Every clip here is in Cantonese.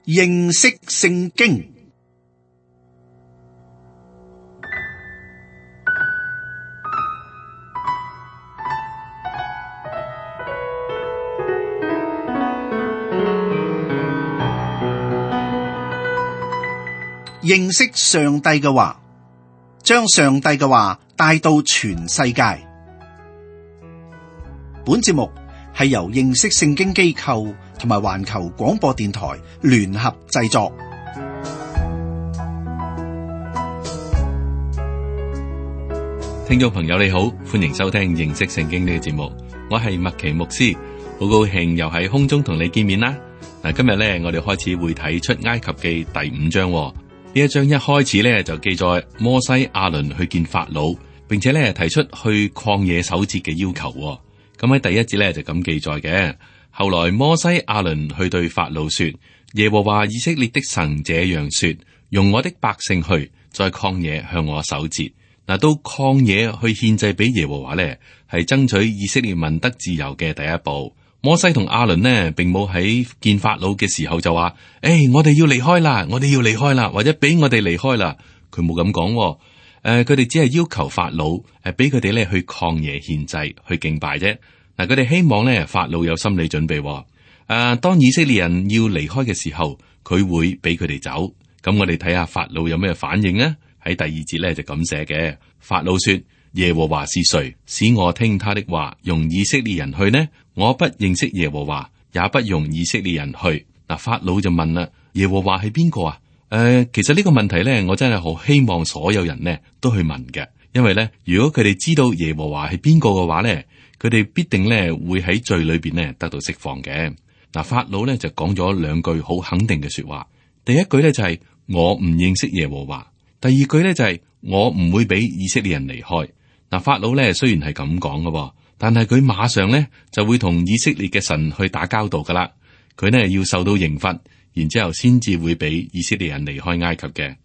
認識聖經。認識上帝嘅話，將上帝嘅話帶到全世界。本節目係由認識聖經機構同埋環球廣播電台聯合製作。聽眾朋友你好，歡迎收聽認識聖經呢個節目，我係麥奇牧師，好高興又喺空中同你見面啦。嗱，今日咧我哋開始會睇出埃及記第5章。呢一章一開始咧就記載摩西亞倫去見法老，並且咧提出去曠野守節嘅要求。咁喺第一節咧就咁記載嘅。後來摩西亞倫去對法老說：耶和華以色列的神這樣說，容我的百姓去，在曠野向我守節。嗱，到曠野去獻祭俾耶和華咧，係爭取以色列民得自由嘅第一步。摩西同亞倫呢，並冇喺見法老嘅時候就話：我哋要離開啦，我哋要離開啦，或者俾我哋離開啦。佢冇咁講。佢哋只係要求法老俾佢哋咧去曠野獻祭，去敬拜啫。嗱，佢哋希望咧法老有心理準備。當以色列人要離開嘅時候，佢會俾佢哋走。咁我哋睇下法老有咩反應啊？喺第2節咧就咁寫嘅。法老說：耶和華是誰，使我聽他的話，用以色列人去呢？我不認識耶和華，也不用以色列人去。嗱，法老就問啦：耶和華係邊個啊？其實呢個問題咧，我真係好希望所有人呢都去問嘅，因為咧，如果佢哋知道耶和華係邊個嘅話咧，佢哋必定咧會喺罪裏邊咧得到釋放嘅。嗱，法老咧就講咗2句好肯定嘅說話。第一句咧就係我唔認識耶和華，第二句咧就係我唔會俾以色列人離開。嗱，法老咧雖然係咁講嘅，但係佢馬上咧就會同以色列嘅神去打交道噶啦。佢呢要受到刑罰，然之後先至會俾以色列人離開埃及嘅。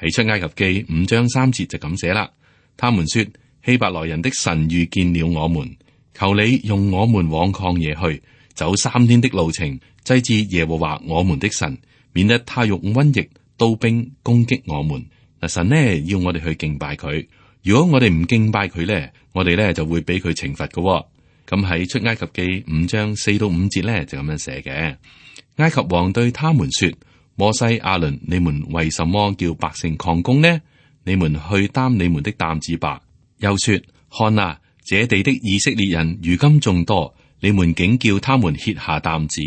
喺出埃及記5章3節就咁寫啦。他們說：希伯來人的神遇見了我們，求你用我們往曠野去，走3天的路程，祭祀耶和華我們的神，免得他用瘟疫、刀兵攻擊我們。嗱，神呢要我哋去敬拜佢。如果我哋唔敬拜佢咧，我哋咧就會俾佢懲罰嘅。咁喺出埃及記5章4到5節咧就咁樣寫嘅。埃及王對他們說：摩西、亞倫，你們為什麼叫百姓曠工呢？你們去擔你們的擔子吧。又說：看啊，這地的以色列人如今眾多，你們竟叫他們歇下擔子。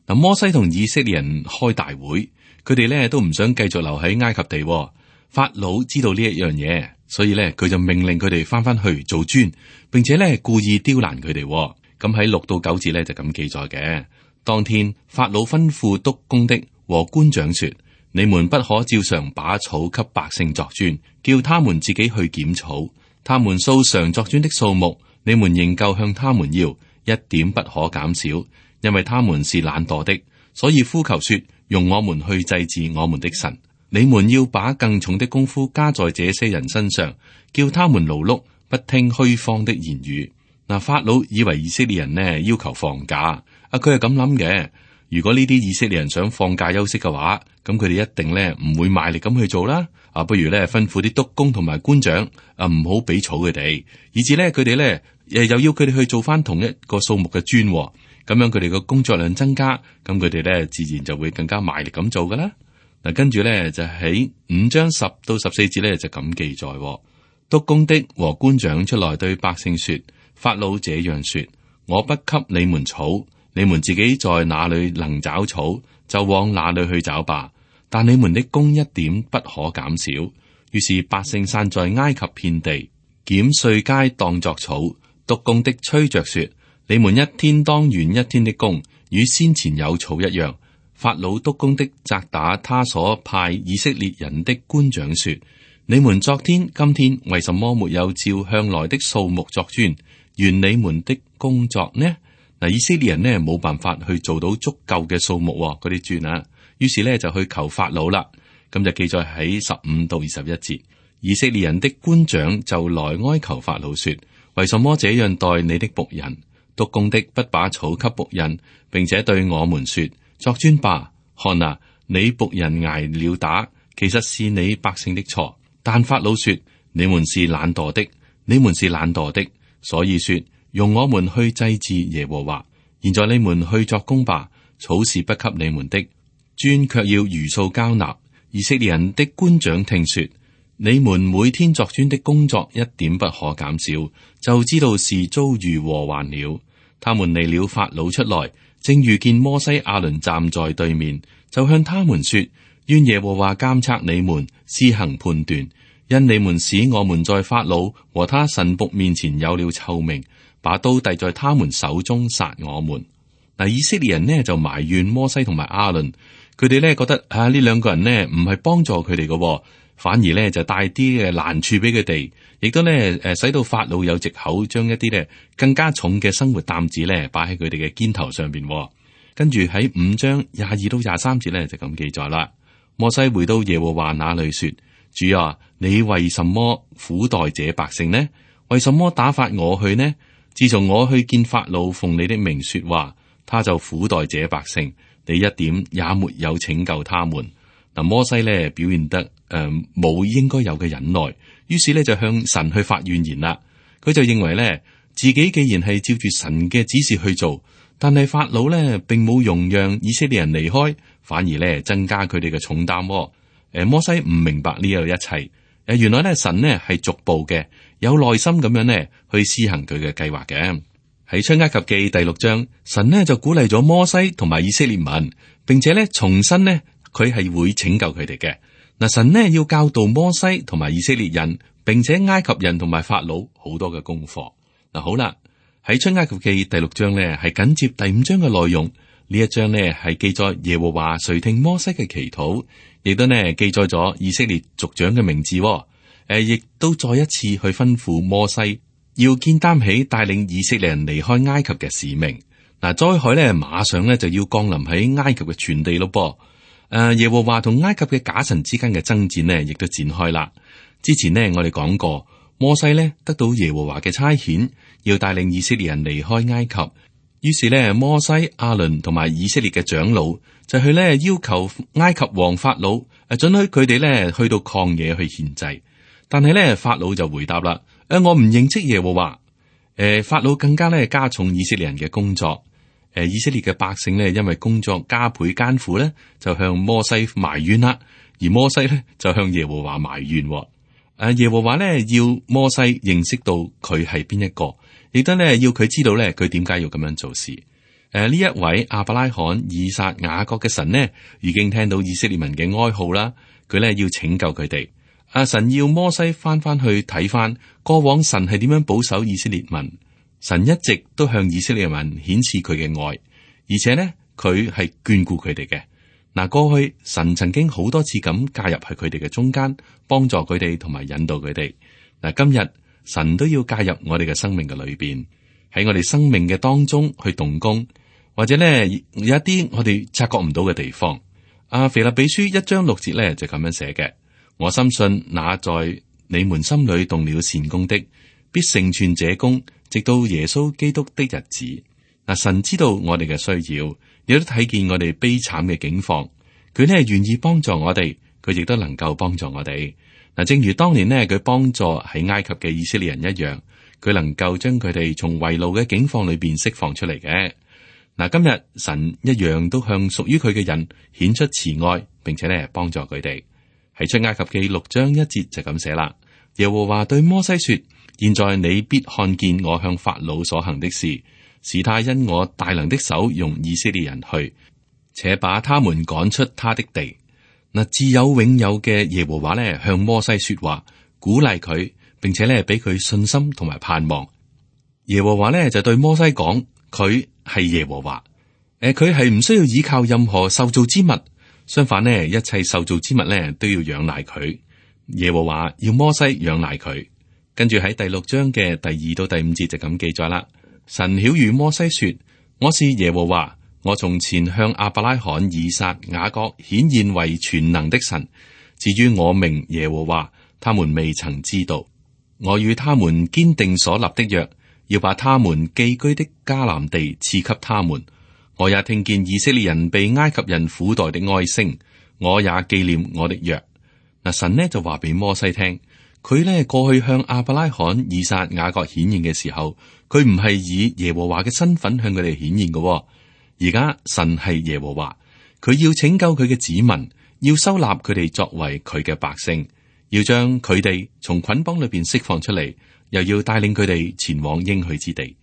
嗱，摩西同以色列人開大會，佢哋咧都唔想繼續留喺埃及地。法老知道呢一樣嘢，所以咧佢就命令佢哋翻去做磚，並且咧故意刁難佢哋。咁喺6到9節咧就咁記載嘅。當天法老吩咐督工的和官長說：你們不可照常把草給百姓作磚，叫他們自己去撿草。他們素常作磚的數目，你們仍舊向他們要，一點不可減少，因為他們是懶惰的，所以呼求說：用我們去祭祀我們的神。你們要把更重的功夫加在這些人身上，叫他們勞碌，不聽虛謊的言語。嗱，法老以為以色列人呢要求放假，佢係咁諗嘅。如果呢啲以色列人想放假休息嘅話，咁佢哋一定咧唔會賣力咁去做啦。不如咧吩咐啲督工同埋官長唔好俾草佢哋，以至咧佢哋咧又要佢哋去做翻同一個數目嘅磚，咁樣佢哋嘅工作量增加，咁佢哋咧自然就會更加賣力咁做噶啦。嗱，跟住咧就喺5章10到14節咧就咁記載。督工的和官長出來對百姓說：法老這樣說，我不給你們草，你們自己在哪裏能找草，就往哪裏去找吧。但你們的工一點不可減少。於是百姓散在埃及遍地，撿碎秸當作草。督工的催着說：你們一天當完一天的工，與先前有草一樣。法老督工的責打他所派以色列人的官長說：你們昨天、今天為什麼沒有照向來的數目作磚，完你們的工作呢？嗱，以色列人呢冇辦法去做到足夠嘅數目嗰啲磚啊，於是呢就去求法老啦。咁就記載喺15到21節。以色列人的官長就來哀求法老說：為什麼這樣待你的僕人？督工的不把草給僕人，並且對我們說：作磚吧，看啊，你僕人挨了打，其實是你百姓的錯。但法老說：你們是懶惰的，你們是懶惰的，所以說容我們去祭祀耶和華。現在你們去作工吧，草是不給你們的，磚卻要如數交納。以色列人的官長聽說，你們每天作磚的工作一點不可減少，就知道是遭遇禍患了。他們離了法老出來，正遇見摩西亞倫站在對面，就向他們說：願耶和華監察你們，施行判斷，因你們使我們在法老和他臣僕面前有了臭名，把刀遞在他們手中殺我們。嗱，以色列人呢就埋怨摩西同埋亞倫，佢哋呢覺得呢兩個人呢唔係幫助佢哋嘅，反而呢就帶啲嘅難處俾佢哋，亦都呢使到法老有藉口將一啲呢更加重嘅生活擔子呢擺喺佢哋嘅肩頭上邊。跟住喺5章22到23節呢就咁記載啦。摩西回到耶和華那裏說：主啊，你為什麼苦待這百姓呢？為什麼打發我去呢？自從我去見法老，奉你的名說話，他就苦待這百姓，你一點也沒有拯救他們。嗱，摩西呢表現得冇應該有嘅忍耐，於是呢就向神去發怨言啦。佢就認為呢自己既然係照住神嘅指示去做，但係法老呢並冇容讓以色列人離開，反而呢增加佢哋嘅重擔。摩西唔明白呢個一切。原來呢神呢係逐步嘅，有耐心咁樣呢去施行佢嘅計劃嘅。喺出埃及記第6章，神呢就鼓勵咗摩西同埋以色列民，並且呢重申呢佢係會拯救佢哋嘅。嗱，神呢要教導摩西同埋以色列人，並且埃及人同埋法老好多嘅功課。嗱，好啦，喺出埃及記第6章呢係緊接第5章嘅內容。呢一章呢係記載耶和華垂聽摩西嘅祈禱，亦都呢記載咗以色列族長嘅名字。亦都再一次去吩咐摩西要肩擔起帶領以色列人離開埃及嘅使命。嗱，災害呢馬上呢就要降臨喺埃及嘅全地咯噃。耶和華同埃及嘅假神之間嘅爭戰呢亦都展開啦。之前呢我哋講過，摩西呢得到耶和華嘅差遣，要帶領以色列人離開埃及。於是呢，摩西、亞倫同埋以色列嘅長老就去呢要求埃及王法老准許佢哋呢去到曠野去獻祭。但係呢，法老就回答啦：我唔認識耶和華。法老更加呢加重以色列人嘅工作。以色列嘅百姓呢，因為工作加倍艱苦呢，就向摩西埋怨啦。而摩西呢，就向耶和華埋怨。耶和華呢，要摩西認識到佢係邊一個，亦都呢要佢知道呢佢點解要咁樣做事。呢一位亞伯拉罕、以撒、雅各嘅神呢，已經聽到以色列民嘅哀號啦。佢呢要拯救佢哋。神要摩西翻去睇翻過往神係點樣保守以色列民。神一直都向以色列民顯示佢嘅愛，而且呢佢係眷顧佢哋嘅。嗱，過去神曾經好多次咁介入喺佢哋嘅中間，幫助佢哋同埋引導佢哋。嗱，今日神都要介入我哋嘅生命嘅裏邊，喺我哋生命嘅當中去動工，或者呢有一啲我哋察覺唔到嘅地方。腓立比書1章6節呢就咁樣寫嘅。我深信那在你們心裏動了善工的，必成全這工，直到耶穌基督的日子。嗱，神知道我哋嘅需要，亦都睇見我哋悲慘嘅境況，佢呢願意幫助我哋，佢亦都能夠幫助我哋。嗱，正如當年呢佢幫助喺埃及嘅以色列人一樣，佢能夠將佢哋從為奴嘅境況裏邊釋放出嚟嘅。嗱，今日神一樣都向屬於佢嘅人顯出慈愛，並且呢幫助佢哋。喺出埃及記6章1節就咁寫啦。耶和華對摩西說：現在你必看見我向法老所行的事，使他因我大能的手容以色列人去，且把他們趕出他的地。嗱，自有永有嘅耶和華呢向摩西說話，鼓勵佢，並且呢俾佢信心同埋盼望。耶和華呢就對摩西講：佢係耶和華，佢係唔需要依靠任何受造之物。相反呢，一切受造之物呢都要仰賴佢。耶和華要摩西仰賴佢。跟住喺第6章嘅第2到第5節就咁記載啦。神曉諭摩西說：我是耶和華，我從前向亞伯拉罕、以撒、雅各顯現為全能的神。至於我名耶和華，他們未曾知道。我與他們堅定所立的約，要把他們寄居的迦南地賜給他們。我也聽見以色列人被埃及人苦待的哀聲，我也紀念我的約。嗱，神呢就話俾摩西聽，佢呢過去向亞伯拉罕、以撒、雅各顯現嘅時候，佢唔係以耶和華嘅身份向佢哋顯現嘅。而家神係耶和華，佢要拯救佢嘅子民，要收納佢哋作為佢嘅百姓，要將佢哋從捆綁裏邊釋放出嚟，又要帶領佢哋前往應許之地。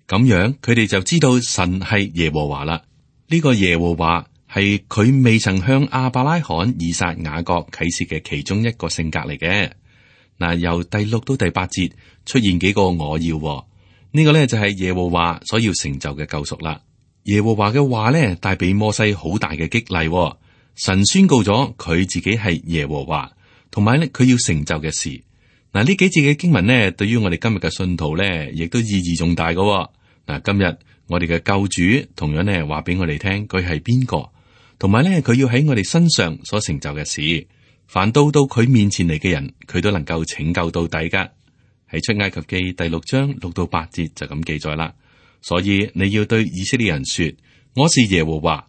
咁樣佢哋就知道神係耶和華啦。呢個耶和華係佢未曾向亞伯拉罕、以撒、雅各啟示嘅其中一個性格嚟嘅。嗱，由第6到第8節出現幾個我要，呢個呢就係耶和華所要成就嘅救贖啦。耶和華嘅話呢帶俾摩西好大嘅激勵，神宣告咗佢自己係耶和華，同埋呢佢要成就嘅事。嗱，呢幾節嘅經文呢，對於我哋今日嘅信徒呢，亦都意義重大嘅。嗱，今日我哋嘅救主同樣呢話俾我哋聽，佢係邊個，同埋呢佢要喺我哋身上所成就嘅事，凡到佢面前嚟嘅人，佢都能夠拯救到底噶。喺出埃及記第6章6到8節就咁記載啦。所以你要對以色列人說：我是耶和華，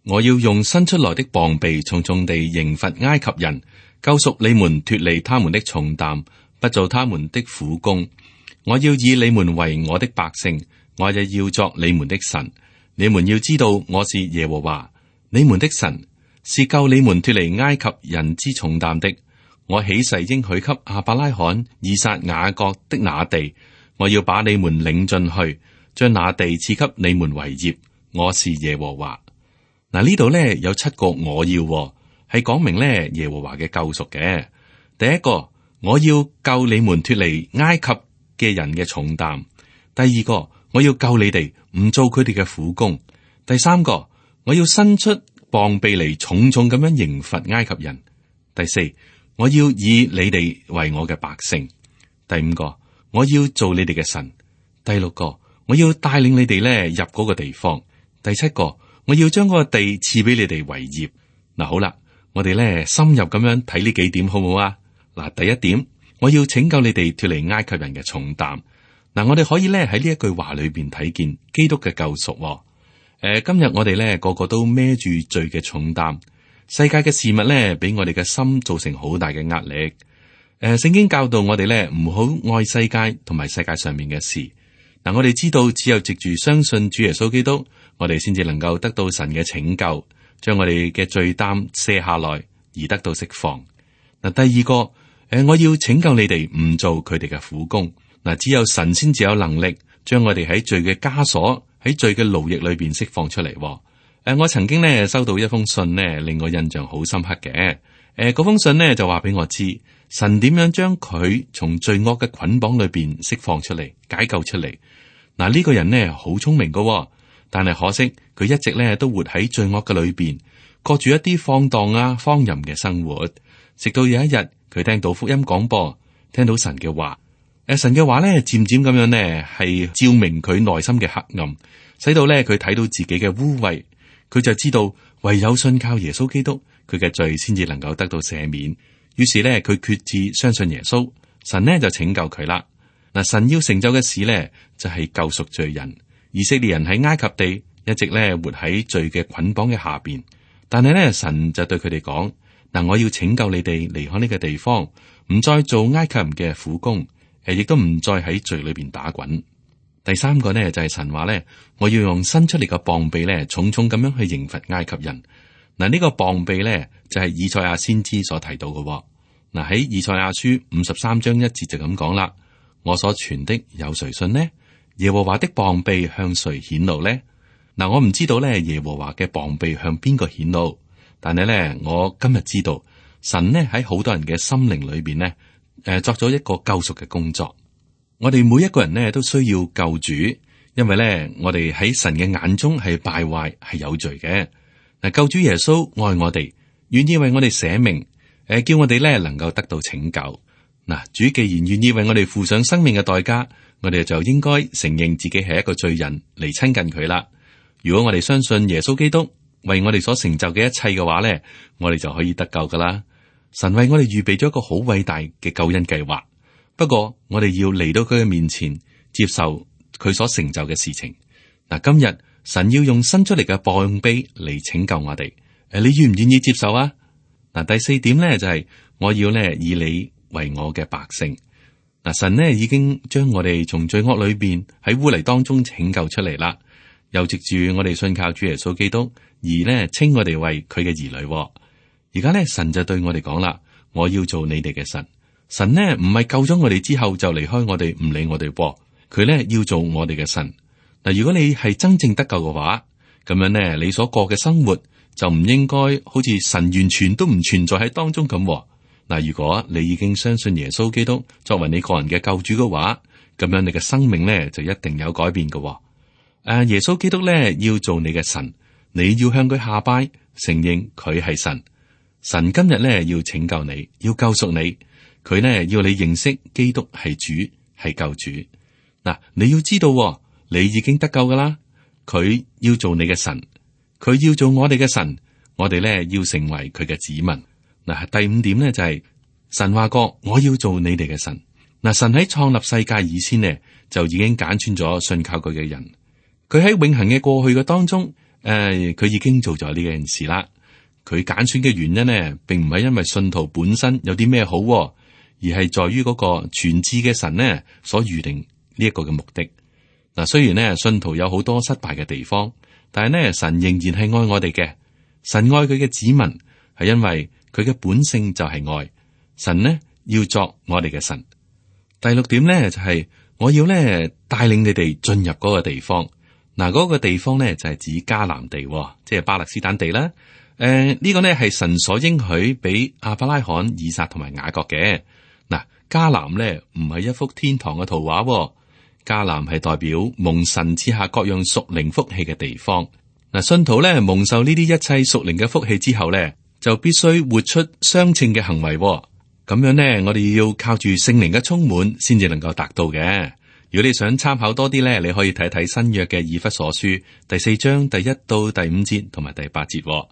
我要用伸出來的膀臂重重地刑罰埃及人，救贖你們脫離他們的重擔，不做他們的苦工。我要以你們為我的百姓，我也要作你們的神。你們要知道我是耶和華，你們的神，是救你們脫離埃及人之重擔的。我起誓應許給亞伯拉罕、以撒、雅各的那地，我要把你們領進去，將那地賜給你們為業。我是耶和華。嗱，呢度呢有7個我要，係講明呢耶和華嘅救贖嘅。第一個，我要救你們脫離埃及嘅人嘅重擔。第二個，我要救你哋唔做佢哋嘅苦工。第三個，我要伸出膀臂嚟重重咁樣刑罰埃及人。第四，我要以你哋為我嘅百姓。第五個，我要做你哋嘅神。第六個，我要帶領你哋咧入嗰個地方。第七個，我要將嗰個地賜俾你哋為業。嗱，好啦，我哋咧深入咁樣睇呢幾點好唔好啊？嗱，第一點，我要拯救你哋脫離埃及人嘅重擔。嗱，我哋可以咧喺呢一句話裏邊睇見基督嘅救贖。今日我哋咧個個都孭住罪嘅重擔，世界嘅事物咧俾我哋嘅心造成好大嘅壓力。聖經教導我哋咧唔好愛世界同埋世界上面嘅事。嗱，我哋知道只有藉住相信主耶穌基督，我哋先至能夠得到神嘅拯救，將我哋嘅罪擔卸下來而得到釋放。嗱，第二個，我要拯救你哋唔做佢哋嘅苦工。嗱，只有神先至有能力將我哋喺罪嘅枷鎖、喺罪嘅奴役裏邊釋放出嚟。我曾經呢收到一封信呢，令我印象好深刻嘅。嗰封信呢就話俾我知，神點樣將佢從罪惡嘅捆綁裏邊釋放出嚟、解救出嚟。嗱，呢個人呢好聰明噶，但係可惜佢一直呢都活喺罪惡嘅裏邊，過住一啲放蕩啊、荒淫嘅生活。直到有一日，佢聽到福音廣播，聽到神嘅話。神嘅話咧，漸漸咁樣呢，係照明佢內心嘅黑暗，使到咧佢睇到自己嘅污穢，佢就知道唯有信靠耶穌基督，佢嘅罪先至能夠得到赦免。於是咧，佢決志相信耶穌，神呢就拯救佢啦。嗱，神要成就嘅事呢，就係救贖罪人。以色列人喺埃及地一直咧活喺罪嘅捆綁嘅下邊，但係咧神就對佢哋講：嗱，我要拯救你哋離開呢個地方，唔再做埃及人嘅苦工。亦都唔再喺罪裏邊打滾。第三個呢，就係神話呢，我要用伸出嚟嘅膀臂呢，重重咁樣去刑罰埃及人。嗱，呢個膀臂呢，就係以賽亞先知所提到嘅。嗱，喺以賽亞書53章1節就咁講啦：我所傳的有誰信呢？耶和華的膀臂向誰顯露呢？嗱，我唔知道呢，耶和華嘅膀臂向邊個顯露，但係呢，我今日知道神呢喺好多人嘅心靈裏邊呢。作咗一個救贖嘅工作。我哋每一個人呢都需要救主，因為呢我哋喺神嘅眼中係敗壞，係有罪嘅。嗱，救主耶穌愛我哋，願意為我哋捨命，叫我哋呢能夠得到拯救。嗱，主既然願意為我哋付上生命嘅代價，我哋就應該承認自己係一個罪人嚟親近佢啦。如果我哋相信耶穌基督為我哋所成就嘅一切嘅話呢，我哋就可以得救噶啦。神為我哋預備咗一個好偉大嘅救恩計劃，不過我哋要嚟到佢嘅面前，接受佢所成就嘅事情。嗱，今日神要用伸出嚟嘅膀臂嚟拯救我哋。你願唔願意接受啊？嗱，第四點咧就係我要咧以你為我嘅百姓。嗱，神呢已經將我哋從罪惡裏邊喺污泥當中拯救出嚟啦，又藉住我哋信靠主耶穌基督而呢稱我哋為佢嘅兒女。而家咧神就對我哋講啦，我要做你哋嘅神。神呢唔係救咗我哋之後就離開我哋唔理我哋，佢咧要做我哋嘅神。嗱，如果你係真正得救嘅話，咁樣呢你所過嘅生活就唔應該好似神完全都唔存在喺當中咁。嗱，如果你已經相信耶穌基督作為你個人嘅救主嘅話，咁樣你嘅生命咧就一定有改變嘅。耶穌基督咧要做你嘅神，你要向佢下拜，承認佢係神。神今日咧要拯救你，要救贖你，佢呢要你認識基督係主，係救主。嗱，你要知道，你已經得救噶啦。佢要做你嘅神，佢要做我哋嘅神，我哋咧要成為佢嘅子民。嗱，第五點咧就係神話過，我要做你哋嘅神。嗱，神喺創立世界以前呢，就已經揀選咗信靠佢嘅人。佢喺永恆嘅過去嘅當中，佢已經做咗呢件事啦。佢揀選嘅原因呢，並唔係因為信徒本身有啲咩好，而係在於嗰個全知嘅神呢所預定呢一個嘅目的。嗱，雖然呢信徒有好多失敗嘅地方，但係呢神仍然係愛我哋嘅。神愛佢嘅子民，係因為佢嘅本性就係愛。神呢要作我哋嘅神。第六點呢就係我要呢帶領你哋進入嗰個地方。嗱，嗰個地方呢就係指迦南地，即係巴勒斯坦地啦。呢個呢係神所應許俾亞伯拉罕、以撒同埋雅各嘅。嗱，迦南呢唔係一幅天堂嘅圖畫，迦南係代表蒙神賜下各樣屬靈福氣嘅地方。嗱，信徒呢蒙受呢啲一切屬靈嘅福氣之後呢，就必須活出相稱嘅行為。咁樣呢，我哋要靠住聖靈嘅充滿，先至能夠達到嘅。如果你想參考多啲呢，你可以睇睇新約嘅以弗所書第4章第1到第5節同埋第8節。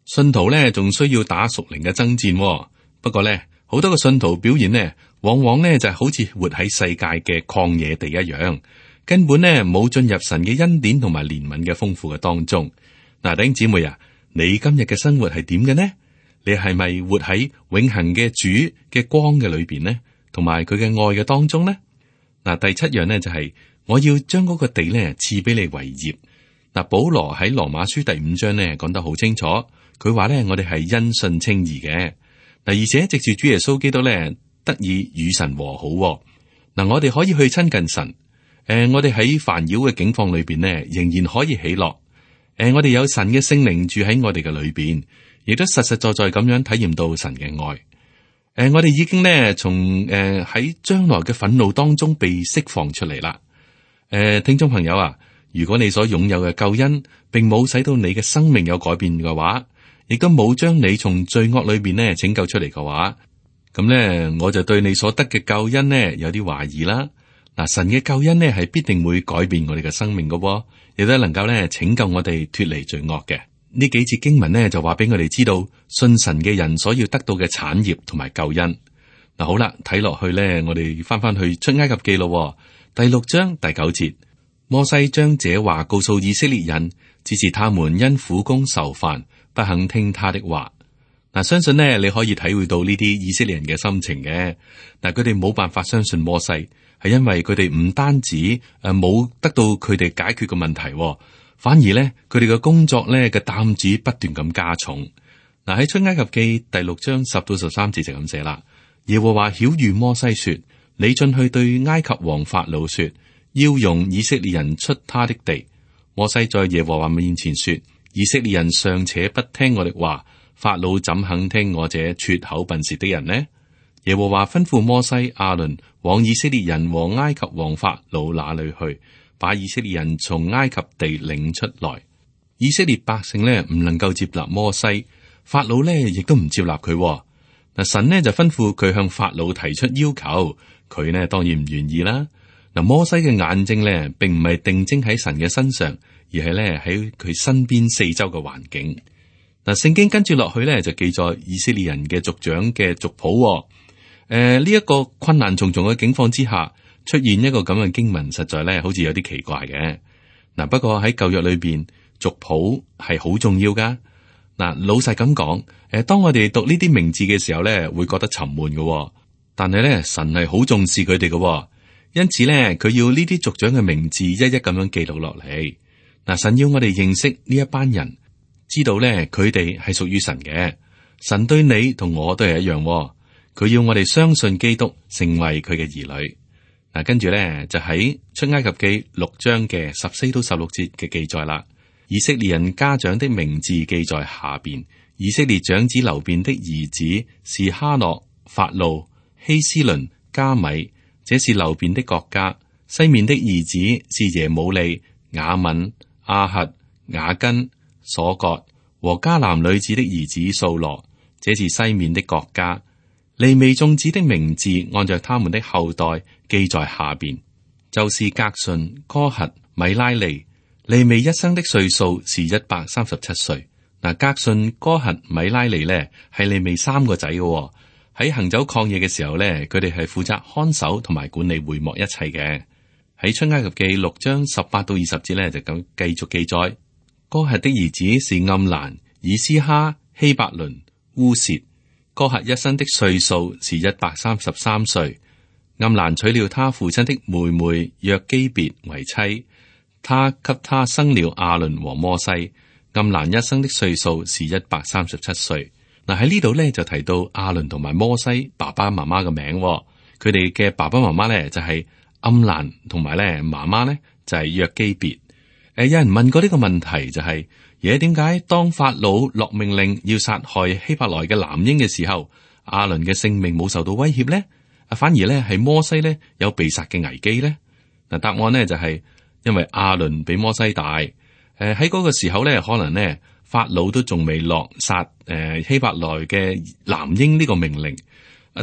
信徒呢仲需要打屬靈嘅爭戰，不過呢，好多嘅信徒表現呢，往往呢就係好似活喺世界嘅曠野地一樣，根本呢冇進入神嘅恩典同埋憐憫嘅豐富嘅當中。嗱，弟兄姊妹啊，你今日嘅生活係點嘅呢？你係咪活喺永恆嘅主嘅光嘅裏邊呢？同埋佢嘅愛嘅當中呢？嗱，第7樣呢就係我要將嗰個地呢賜俾你為業。嗱，保羅喺羅馬書第5章呢講得好清楚。佢話咧，我哋係因信稱義嘅。嗱，而且藉住主耶穌基督咧，得以與神和好。嗱，我哋可以去親近神。我哋喺煩擾嘅境況裏邊咧，仍然可以喜樂。我哋有神嘅聖靈住喺我哋嘅裏邊，亦都實實在在咁樣體驗到神嘅愛。我哋已經咧從喺將來嘅憤怒當中被釋放出嚟啦。聽眾朋友啊，如果你所擁有嘅救恩並冇使到你嘅生命有改變嘅話，亦都冇將你從罪惡裏邊咧拯救出嚟嘅話，咁咧我就對你所得嘅救恩呢有啲懷疑啦。嗱，神嘅救恩呢係必定會改變我哋嘅生命嘅，亦都能夠咧拯救我哋脫離罪惡嘅。呢幾節經文呢就話俾我哋知道信神嘅人所要得到嘅產業同埋救恩。嗱，好啦，睇落去咧，我哋翻去出埃及記咯，第6章第9節，摩西將這話告訴以色列人，只是他們因苦工愁煩，不肯聽他的話。嗱，相信呢你可以體會到呢啲以色列人嘅心情嘅。但佢哋冇辦法相信摩西，係因為佢哋唔單止冇得到佢哋解決嘅問題，反而呢，佢哋嘅工作呢嘅擔子不斷咁加重。嗱，喺出埃及記第6章10到13節就咁寫啦。耶和華曉諭摩西說：你進去對埃及王法老說，要容以色列人出他的地。摩西在耶和華面前說：以色列人尚且不聽我的話，法老怎肯聽我這拙口笨舌的人呢？耶和華吩咐摩西、亞倫往以色列人和埃及王法老那裏去，把以色列人從埃及地領出來。以色列百姓呢唔能夠接納摩西，法老呢亦都唔接納佢。嗱，神呢就吩咐佢向法老提出要求，佢呢當然唔願意啦。嗱，摩西嘅眼睛呢並唔係定睛喺神嘅身上，而係咧喺佢身邊四周嘅環境。嗱，聖經跟住落去咧就記載以色列人嘅族長嘅族譜。呢一個困難重重嘅境況之下，出現一個咁嘅經文，實在咧好似有啲奇怪嘅。嗱，不過喺舊約裏邊，族譜係好重要噶。嗱，老實咁講，當我哋讀呢啲名字嘅時候咧，會覺得沉悶嘅。但係咧，神係好重視佢哋嘅，因此咧，佢要呢啲族長嘅名字一一咁樣記錄落嚟。嗱，神要我哋認識呢一班人，知道咧佢哋係屬於神嘅。神對你同我都係一樣，佢要我哋相信基督，成為佢嘅兒女。嗱，跟住咧就喺出埃及記6章嘅14到16節嘅記載啦。以色列人家長的名字記在下邊。以色列長子流便的兒子是哈諾、法路、希斯倫、加米，這是流便的國家。西面的兒子是耶母利、雅敏、亞轄、雅根、瑣割和迦南女子的兒子掃羅，這是西面的國家。利未眾子的名字按照他們的後代記在下邊，就是革順、哥轄、米拉利。利未一生的歲數是137歲。嗱，革順、哥轄、米拉利呢係利未3個仔嘅。喺行走曠野嘅時候呢，佢哋係負責看守同埋管理會幕一切嘅。喺出埃及記6章18到20節呢，就咁繼續記載。哥轄的兒子是暗蘭、以斯哈、希伯倫、烏薛。哥轄一生的歲數是133歲。暗蘭娶了他父親的妹妹約基別為妻，他給他生了亞倫和摩西。暗蘭一生的歲數是137歲。嗱，喺呢度咧就提到亞倫同埋摩西爸爸媽媽嘅名，佢哋嘅爸爸媽媽咧就係暗蘭，同埋咧媽媽咧就係約基別。有人問過呢個問題，就係點解當法老落命令要殺害希伯來嘅男嬰嘅時候，亞倫嘅性命冇受到威脅咧？反而咧係摩西咧有被殺嘅危機咧？嗱，答案咧就係因為亞倫比摩西大。喺嗰個時候咧，可能咧法老都仲未落殺希伯來嘅男嬰呢個命令。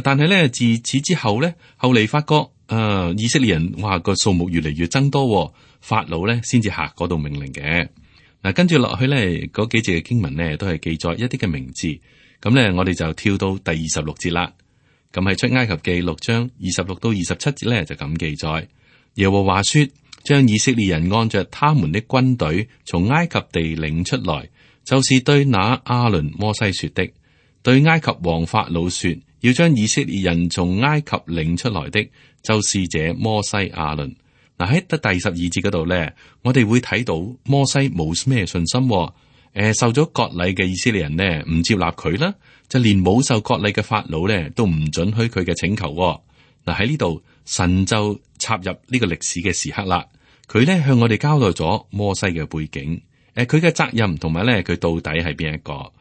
但係咧自此之後咧，後嚟發覺以色列人哇個數目越嚟越增多，法老咧先至下嗰度命令嘅。嗱，跟住落去咧嗰幾節嘅經文咧都係記載一啲嘅名字。咁咧我哋就跳到第26節啦。咁喺出埃及記6章26到27節咧就咁記載。耶和華說，將以色列人按着他們的軍隊從埃及地領出來，就是對那亞倫摩西說的。對埃及王法老說，要將以色列人從埃及領出來的，就是這摩西亞倫。嗱，喺第12節嗰度咧，我哋會睇到摩西冇咩信心，受咗割禮嘅以色列人呢唔接納佢啦，就連冇受割禮嘅法老咧都唔准許佢嘅請求。嗱，喺呢度神就插入呢個歷史嘅時刻啦，佢咧向我哋交代咗摩西嘅背景，佢嘅責任同埋咧佢到底係邊一個。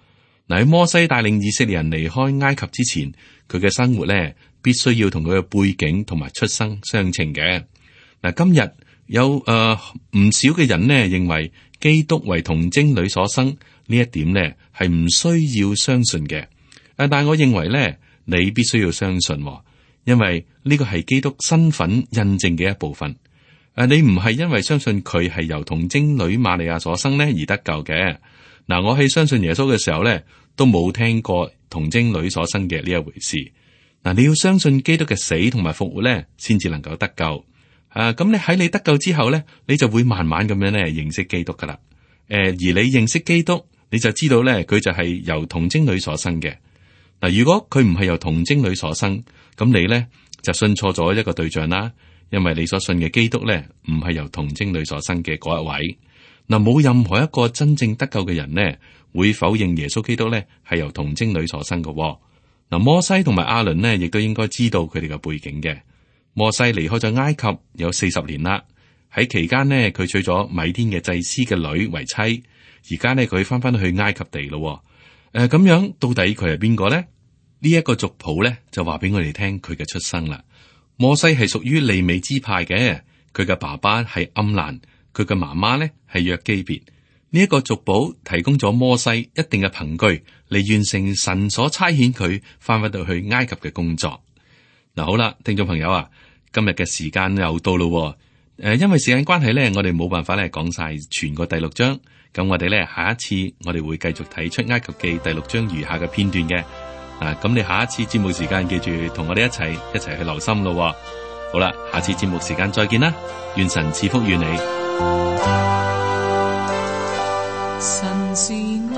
嗱，喺摩西帶領以色列人離開埃及之前，佢嘅生活咧必須要同佢嘅背景同埋出生相稱嘅。嗱，今日有唔少嘅人呢認為基督為童貞女所生呢一點呢係唔需要相信嘅。但係我認為咧，你必須要相信，因為呢個係基督身份印證嘅一部分。你唔係因為相信佢係由童貞女瑪利亞所生呢而得救嘅。嗱，我喺相信耶穌嘅時候咧，都冇聽過童貞女所生嘅呢一回事。嗱，你要相信基督嘅死同埋復活咧，先至能夠得救。咁你喺你得救之後咧，你就會慢慢咁樣咧認識基督噶啦。而你認識基督，你就知道咧佢就係由童貞女所生嘅。嗱，如果佢唔係由童貞女所生，咁你咧就信錯咗一個對象啦。因為你所信嘅基督咧，唔係由童貞女所生嘅嗰一位。嗱，冇任何一個真正得救嘅人呢，會否認耶穌基督咧係由童貞女所生嘅。嗱，摩西同埋亞倫呢，亦都應該知道佢哋嘅背景嘅。摩西離開咗埃及有40年啦，喺期間呢，佢娶咗米甸嘅祭司嘅女為妻。而家呢，佢翻去埃及地咯。咁樣到底佢係邊個呢？呢一個族譜咧就話俾我哋聽佢嘅出生啦。摩西係屬於利未支派嘅，佢嘅爸爸係暗蘭，佢嘅媽媽咧係約基別。呢一個族譜提供咗摩西一定嘅憑據嚟完成神所差遣佢翻到去埃及嘅工作。嗱，好啦，聽眾朋友啊，今日嘅時間又到咯。因為時間關係咧，我哋冇辦法咧講晒全個第6章。咁我哋咧下一次我哋會繼續睇出埃及記第6章餘下嘅片段嘅。咁你下一次節目時間記住同我哋一齊去留心咯。好啦，下次節目時間再見啦，願神賜福於你。神是愛，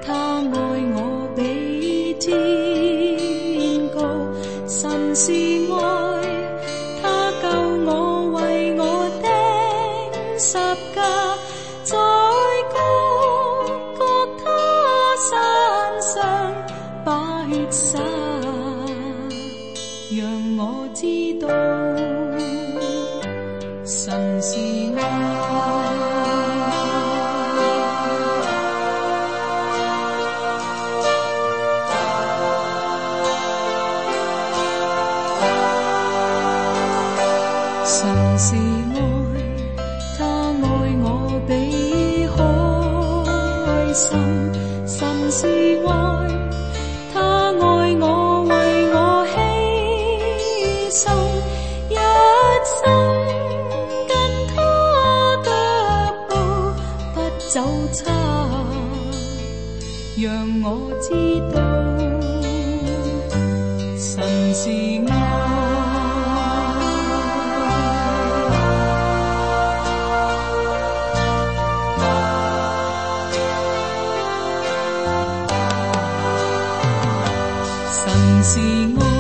他愛我比天高。神是愛，他救我，為我釘十架，在各各他山上把血灑，讓我知道神是愛。神是愛，他愛我比海深。神是愛，他愛我，為我犧牲，一生跟他腳步不走差，讓我知道神是愛。神是愛。